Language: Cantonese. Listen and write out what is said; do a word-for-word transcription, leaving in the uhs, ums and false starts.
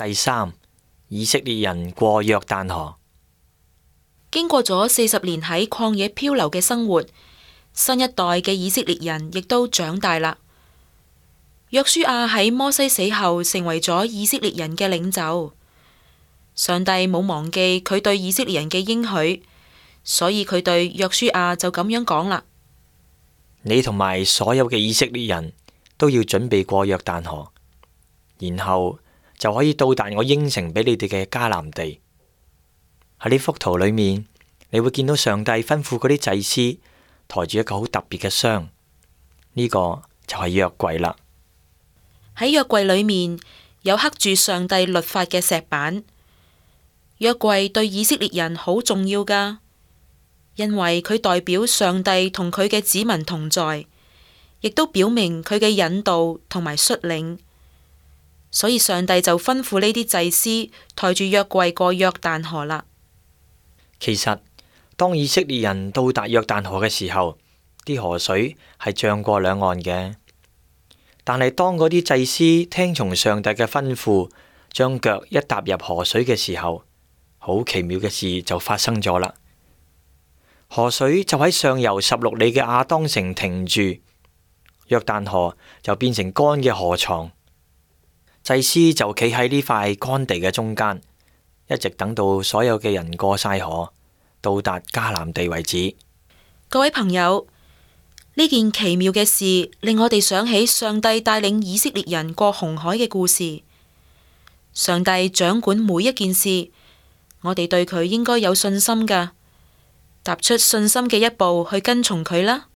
第三，以色列人過約旦河。經過咗四十年喺曠野漂流嘅生活，新一代嘅以色列人亦都長大啦。約書亞喺摩西死後成為咗以色列人嘅領袖。上帝冇忘記佢對以色列人嘅應許，所以佢對約書亞就咁樣講啦：你同埋所有嘅以色列人都要準備過約旦河，然後就可以到達我應承俾你哋嘅迦南地。喺呢幅圖裏面，你會見到上帝吩咐嗰啲祭司抬住一個好特別嘅箱，呢個就係約櫃啦。喺約櫃裏面有刻住上帝律法嘅石板。約櫃對以色列人好重要噶，因為佢代表上帝同佢嘅子民同在，亦都表明佢嘅引導同埋率領。所以上帝就吩咐呢啲祭司抬住約櫃過約旦河啦。其實當以色列人到達約旦河嘅時候，啲河水係漲過兩岸嘅。但係當嗰啲祭司聽從上帝嘅吩咐，將腳一踏入河水嘅時候，好奇妙嘅事就發生咗啦。河水就喺上游十六里嘅亞當城停住，約旦河就變成乾嘅河床。祭司就企喺呢塊乾地嘅中間，一直等到所有嘅人過晒河，到達迦南地為止。各位朋友，呢件奇妙嘅事令我哋想起上帝帶領以色列人過紅海嘅故事。上帝掌管每一件事，我哋對佢應該有信心噶，踏出信心嘅一步去跟從佢啦。